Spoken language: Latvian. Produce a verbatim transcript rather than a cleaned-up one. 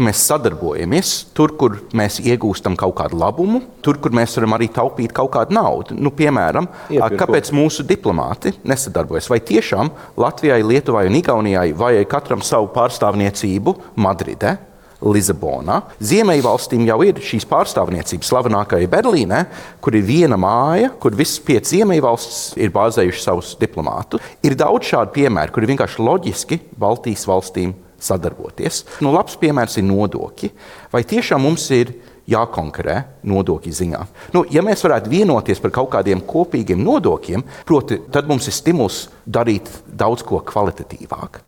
ka mēs sadarbojamies tur, kur mēs iegūstam kaut kādu labumu, tur, kur mēs varam arī taupīt kaut kādu naudu. Nu, piemēram, Iepirko. Kāpēc mūsu diplomāti nesadarbojas? Vai tiešām Latvijai, Lietuvai un Igaunijai vajag katram savu pārstāvniecību Madridē, Lisabonā? Ziemeļvalstīm jau ir šīs pārstāvniecības slavenākajai Berlīnē, kur ir viena māja, kur visas piecas ziemeļvalstis ir bāzējuši savus diplomātus. Ir daudz šādu piemēru, kur ir vienkārši loģiski Baltijas valstīm sadarboties. Nu, labs piemērs ir nodokļi. Vai tiešām mums ir jākonkurē nodokļu ziņā? Nu, ja mēs varētu vienoties par kaut kādiem kopīgiem nodokļiem, proti, tad mums ir stimuls darīt daudz ko kvalitatīvāk.